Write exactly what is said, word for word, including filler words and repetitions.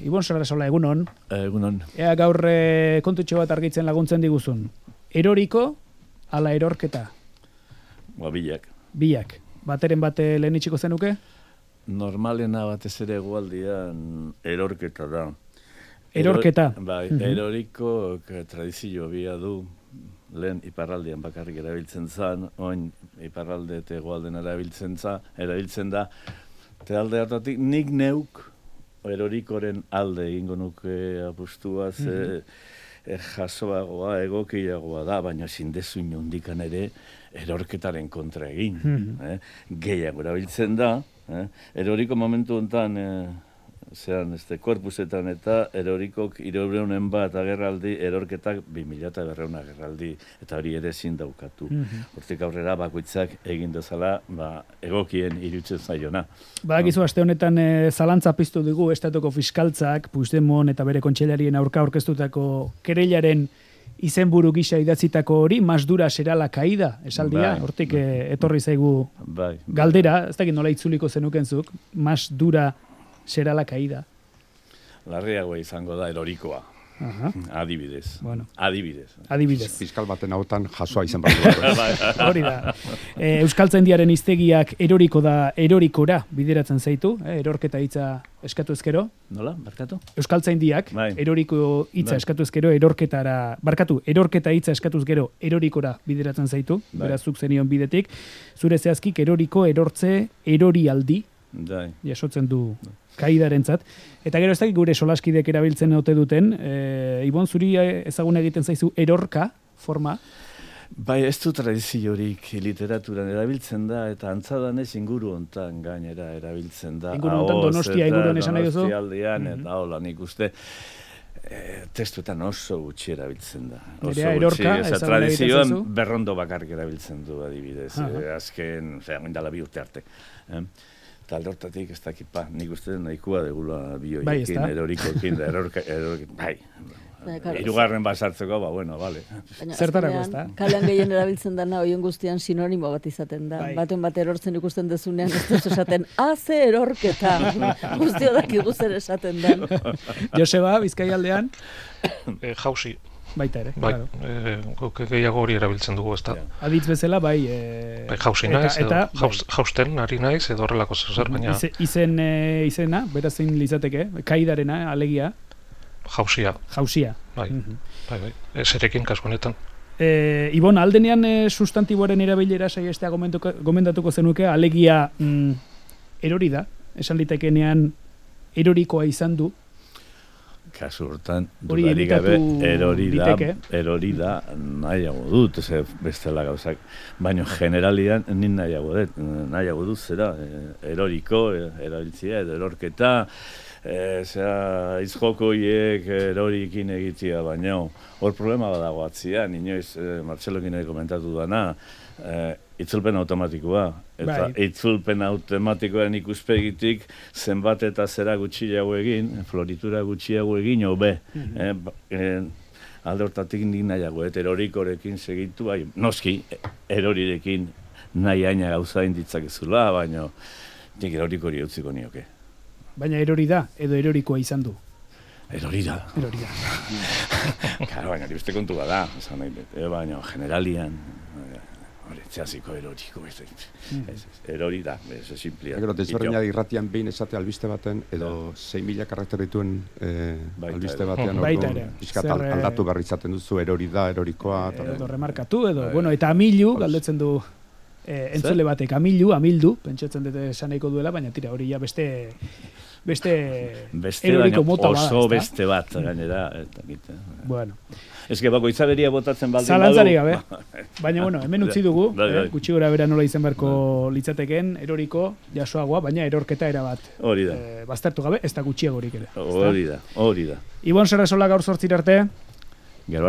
Ibon Sarrasola, egunon. Egunon. Ea gaur e, kontutxo bat argitzen laguntzen diguzun. Eroriko, ala erorketa? Ba, bilak. Bilak. Bateren bate lehen itxiko zenuke? Normalena batez ere egualdian erorketa da. Erorketa? Eror, bai, uh-huh. Eroriko tradizio bia du. Lehen iparraldean bakarrik erabiltzen zan, oin iparralde eta egualden erabiltzen, za, erabiltzen da. Eta alde hartatik nik neuk erorikoren alde egingo nuke apustua, ze mm-hmm. eh, jasoagoa, egokiagoa da, baina zindezu inondikan ere erorketaren kontra egin. Mm-hmm. eh? Gehiago erabiltzen da, eh? Eroriko momentu honetan, eh, zean, este, korpusetan eta erorikok hirurehun bat agerraldi, erorketak bi mila berrehun agerraldi, eta hori ere ezin daukatu. Mm-hmm. Hortik aurrera bakoitzak egin dezala, ba, egokien irutzen zaiona. Badakizu, aste honetan e, zalantza piztu dugu estatuko fiskaltzak, Puigdemont eta bere kontseilarien aurka aurkeztutako kereilaren izenburu gisa idatzitako hori, más dura será la caída, esaldia, bai, hortik bai. E, etorri zaigu bai, galdera, ez dakit nola itzuliko zenukenzuk, más dura será la caída. Larriagoa izango da erorikoa. Aha. Adibidez. Bueno. Adibidez. Adibidez. Fiskal baten hautan jasoa izan bat. Hori da. E, Euskaltzaindiaren hiztegiak eroriko da erorikora bideratzen zaitu, eh? Erorketa hitza eskatu ezkero. Nola? Barkatu? Euskaltzaindiak bai. Eroriko hitza bai. Eskatu ezkero erorketara, barkatu, erorketa hitza eskatuz gero erorikora bideratzen zaitu, bai. Beraz zuk zenion bidetik. Zure zehazkik eroriko, erortze, erorialdi. Dai. Jasotzen du kaidarentzat. Eta gero ez dakik gure solaskidek erabiltzen ote duten, e, Ibon, zuri ezagun egiten zaizu erorka forma? Bai, ez du tradiziorik literaturan erabiltzen da, eta antzadanez inguru hontan gainera erabiltzen da. Inguru hontan Donostia inguruan esan nahi duzu? Donostialdean, mm-hmm. eta hola nik uste, e, testuetan oso gutxi erabiltzen da. Nerea erorka, ezagun egiten zaizu? Berrondo bakarrik erabiltzen du adibidez, e, azken, ozera, oindala bi urte arte. Eh? Eta aldortatik ez dakipa, nik uste nahikoa degula bioiekin, bai, erorikoekin, da, erorka, erorkekin, bai. Hirugarren basartzeko, ba, bueno, bale. Zertarako ez da? Kalean gehien erabiltzen dana, oien guztian sinonimo bat izaten da. Bai. Baten bat erortzen ikusten dezunean, ez duz esaten, haze erorketa, guztio daki guzer esaten den. Joseba, Bizkaialdean? E, jauzi. Baita ere, bai, claro. E, guk gehiago hori erabiltzen dugu, ez da. Ja. Aditz bezala, bai... E, bai, jauzi naiz, edo jauz, jausten ari naiz, edo horrelako zer, baina... Ize, izen, e, izena, beraz zein litzateke, kaidarena, alegia? Jauzia. Jauzia. Bai, mm-hmm. bai, bai, ezerekin kasu honetan. E, Ibon, aldenean e, sustantiboaren erabilera saiestea gomendatuko zenuke, alegia mm, erori da, esan litekenean erorikoa izan du. Kasu hortan, dudari gabe, erori da, erori da nahiago dut, ze bestela gauzak. Baina generalian, nin nahiago dut, nahiago dut zera, eroriko, erabiltzia, edo erorketa, e, zera, izjokoiek erorikin egitea, baina hor problema badago atzian, inoiz, e, Martxelokin ere komentatu dana, e, itzulpen automatikoa, eta bai. Itzulpen automatikoaren ikuspegitik zenbat eta zera gutxiago egin, floritura gutxiago egin, hobe. Mm-hmm. e, e, alde hortatik nik nahiago, eta erorikorekin segitu, bai, noski, erorirekin nahi aina gauza inditzakezula, baina nik erorikori utziko nioke. Baina erori da, edo erorikoa izan du? Erori da. Erori da. Karo, baina, beste kontu bada, baina, generalian, Txasiko eroriko, erori da, ez simplia. Gero, desberdina irratian behin esate albiste baten, edo sei mila karakter dituen eh, albiste batean, orduan, aldatu berri izaten duzu, erori da, erorikoa. Edo remarkatu, edo, bueno, eta amilu, galdetzen du eh, entzule batek, amilu, amildu, pentsatzen dute esaneiko duela, baina tira, hori ja beste... Beste, beste eroriko mota bada, oso bada, beste bat, gainera. Eta, eta, bueno. Ez que bako itzaberia botatzen baldin badu. Zalantzari gabe. Baina, bueno, hemen utzi dugu, eh, gutxi gora bera nola izan beharko litzateken, eroriko, jasoagoa, baina erorketa erabat. Hori da. Eh, baztertu gabe, ez da gutxiagorik ere. Hori da, hori da. Ibon Sarrasola gaur zortzir arte. Gero arte.